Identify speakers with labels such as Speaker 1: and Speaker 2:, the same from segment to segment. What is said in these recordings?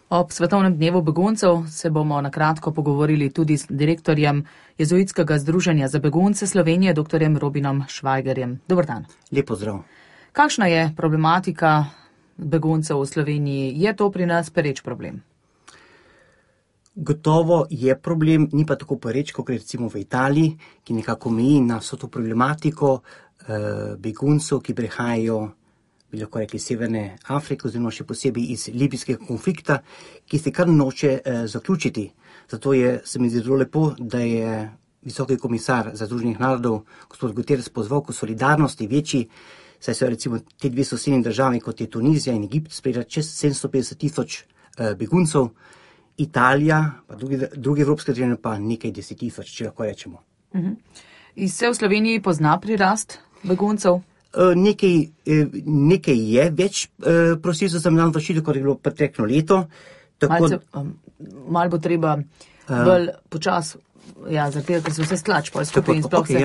Speaker 1: Ob Svetovnem dnevu beguncev se bomo na kratko pogovorili tudi s direktorjem Jezuitskega združenja za begunce Slovenije, dr. Robinom Švajgerjem. Dober dan.
Speaker 2: Lep pozdrav.
Speaker 1: Kakšna je problematika beguncev v Sloveniji? Je to pri nas pereč problem?
Speaker 2: Gotovo je problem, ni pa tako pereč, kot recimo v Italiji, ki nekako meji na vso to problematiko beguncev, ki prihajajo, bi lahko rekli, Severne Afrike, oziroma še posebej iz libijskega konflikta, ki se kar noče zaključiti. Zato se mi zdi zelo lepo, da je visoki komisar za Združenih narodov, gospod Guterres, pozval k solidarnosti večji, saj so recimo te dve sosednji državi, kot je Tunizija in Egipt, sprejela čez 750,000 beguncev, Italija, pa druge evropske države pa nekaj 10,000, če lahko rečemo.
Speaker 1: In se v Sloveniji pozna prirast beguncev?
Speaker 2: Nekaj je več prosilcev za mednarodno zaščito, kot je bilo preteklo leto.
Speaker 1: Malo bo treba bolj počas, zaradi tega, ker se vse stlač, pa skupaj in sploh se...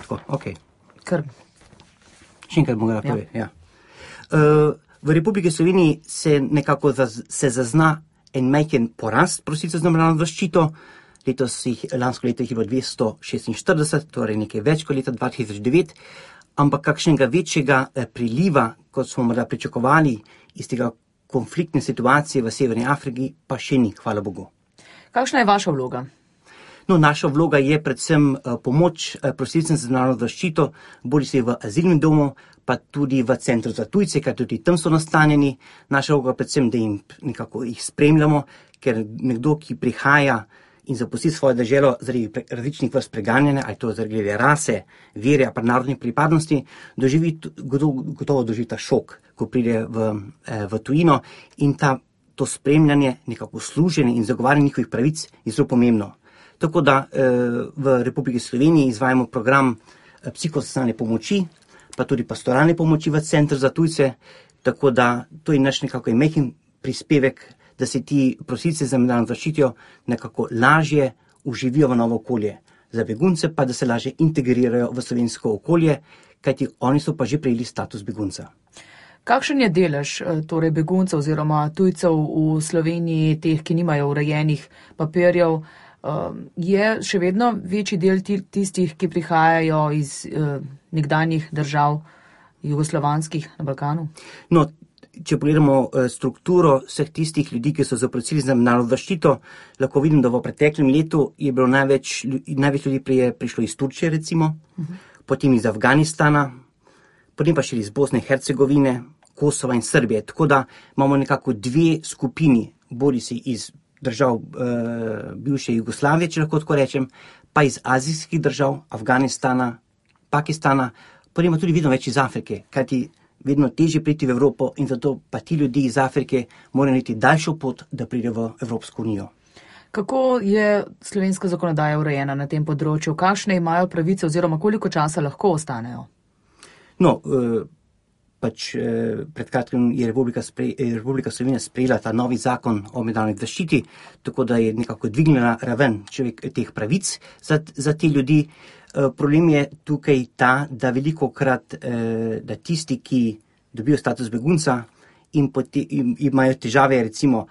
Speaker 2: Tako, ok.
Speaker 1: Kar...
Speaker 2: Še enkrat bom povedal, v Republiki Sloveniji se nekako zazna en majhen porast prosilcev za mednarodno zaščito. Lansko leto jih je bilo 246, torej nekaj več kot leta 2009, ampak kakšnega večjega priliva, kot smo morda pričakovali iz tega konfliktne situacije v Severni Afriki, pa še ni, hvala Bogu.
Speaker 1: Kakšna je vaša vloga?
Speaker 2: Naša vloga je predvsem pomoč prosilcem za mednarodno zaščito, bodisi v azilnem domu, pa tudi v centru za tujce, ker tudi tam so nastanjeni. Naša vloga predvsem, da jih spremljamo, ker nekdo, ki prihaja in zapusti svojo deželo zaradi različnih vrst preganjanja, ali to zaradi rase, vere, pa narodne pripadnosti, gotovo doživi ta šok, ko pride v tujino, in to spremljanje, nekako služenje in zagovarjanje njihovih pravic je zelo pomembno. Tako da v Republiki Sloveniji izvajamo program psihosocialne pomoči, pa tudi pastoralne pomoči v centru za tujce, tako da to je naš nekako majhen prispevek, da se ti prosilci za mednarodno zaščito nekako lažje uživijo v novo okolje. Za begunce pa, da se lažje integrirajo v slovensko okolje, kajti oni so pa že prejeli status begunca.
Speaker 1: Kakšen je delež torej beguncev oziroma tujcev v Sloveniji, teh, ki nimajo urejenih papirjev? Je še vedno večji del tistih, ki prihajajo iz nekdanjih držav jugoslovanskih na Balkanu?
Speaker 2: Če pogledamo strukturo vseh tistih ljudi, ki so zaprosili za mednarodno zaščito, lahko vidim, da v preteklem letu je bilo največ ljudi prišlo iz Turčije, recimo, potem iz Afganistana, potem pa še iz Bosne in Hercegovine, Kosova in Srbije. Tako da imamo nekako dve skupini, bodisi iz držav bivše Jugoslavije, če lahko tako rečem, pa iz azijskih držav, Afganistana, Pakistana, potem pa tudi vedno več iz Afrike, kajti vedno težje priti v Evropo in zato pa ti ljudje iz Afrike morajo narediti daljšo pot, da pridejo v Evropsko unijo.
Speaker 1: Kako je slovenska zakonodaja urejena na tem področju? Kakšne imajo pravice oziroma koliko časa lahko ostanejo?
Speaker 2: Pred kratkim je Republika Slovenija sprejela ta novi zakon o mednarodni zaščiti, tako da je nekako dvignila raven teh pravic za te ljudi. Problem je tukaj ta, da velikokrat, da tisti, ki dobijo status begunca in imajo težave, recimo,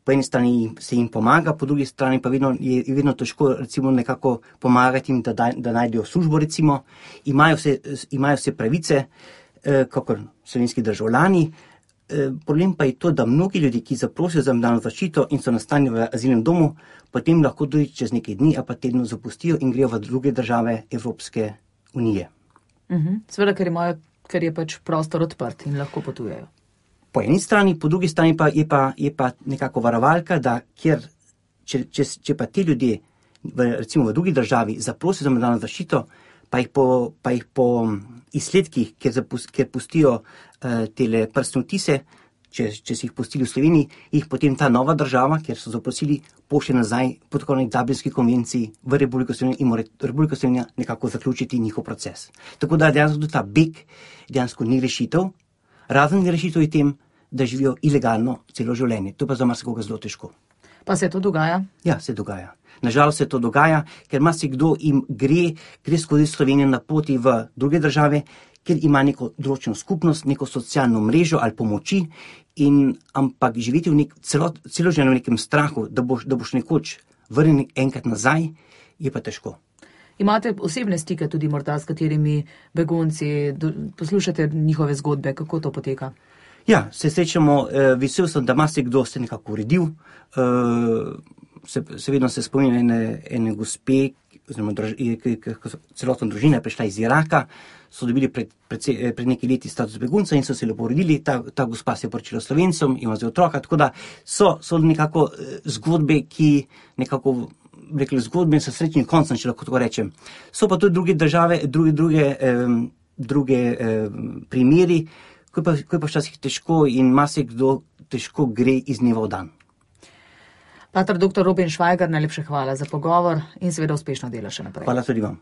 Speaker 2: po eni strani se jim pomaga, po drugi strani pa je vedno težko, recimo, nekako pomagati jim, da najdejo službo, recimo, imajo vse pravice, kakor slovenski državljani. Problem pa je to, da mnogi ljudi, ki zaprosijo za mednarodno zaščito in so nastanjeni v azilnem domu, potem lahko tudi čez nekaj dni ali pa tednov zapustijo in grejo v druge države Evropske unije.
Speaker 1: Seveda, ker je pač prostor odprt in lahko potujejo.
Speaker 2: Po eni strani, po drugi strani pa je pa nekako varovalka, da če pa ti ljudje recimo v drugi državi zaprosijo za mednarodno zaščito, pa jih po izsledkih, ker pustijo tele prstne odtise, če si jih pustili v Sloveniji, jih potem ta nova država, kjer so zaprosili, pošlje nazaj po tako neki Dublinski konvenciji v Republiko Slovenijo in mora Republika Slovenija nekako zaključiti njihov proces. Tako da dejansko tudi ta beg dejansko ni rešitev, razen rešitev je tem, da živijo ilegalno celo življenje. To pa za marsikoga zelo težko.
Speaker 1: Pa se to dogaja?
Speaker 2: Ja, se dogaja. Nažalost se to dogaja, ker marsikdo jim gre skozi Slovenijo na poti v druge države, ker ima neko določeno skupnost, neko socialno mrežo ali pomoči ampak živeti celo življenje v nekem strahu, da boš nekoč vrnjen enkrat nazaj, je pa težko.
Speaker 1: Imate osebne stike tudi morda s katerimi begunci, poslušate njihove zgodbe, kako to poteka?
Speaker 2: Ja, se srečamo, vesel sem, da marsikdo se nekako uredil, vedno se spominjam ene gospe, oziroma celotna družina je prišla iz Iraka, so dobili pred nekaj leti status begunca in so se lepo uredili, ta gospa se je poročila Slovencem, ima zdaj otroka, tako da so nekako zgodbe, ki nekako rekli zgodbe in so srečni koncem, če lahko tako rečem. So pa tudi druge države, druge primeri, ko je pa včasih težko in marsikdo težko gre iz dneva v dan.
Speaker 1: Pater dr. Robin Švajger, najlepša hvala za pogovor in seveda uspešno delo še naprej.
Speaker 2: Hvala tudi vam.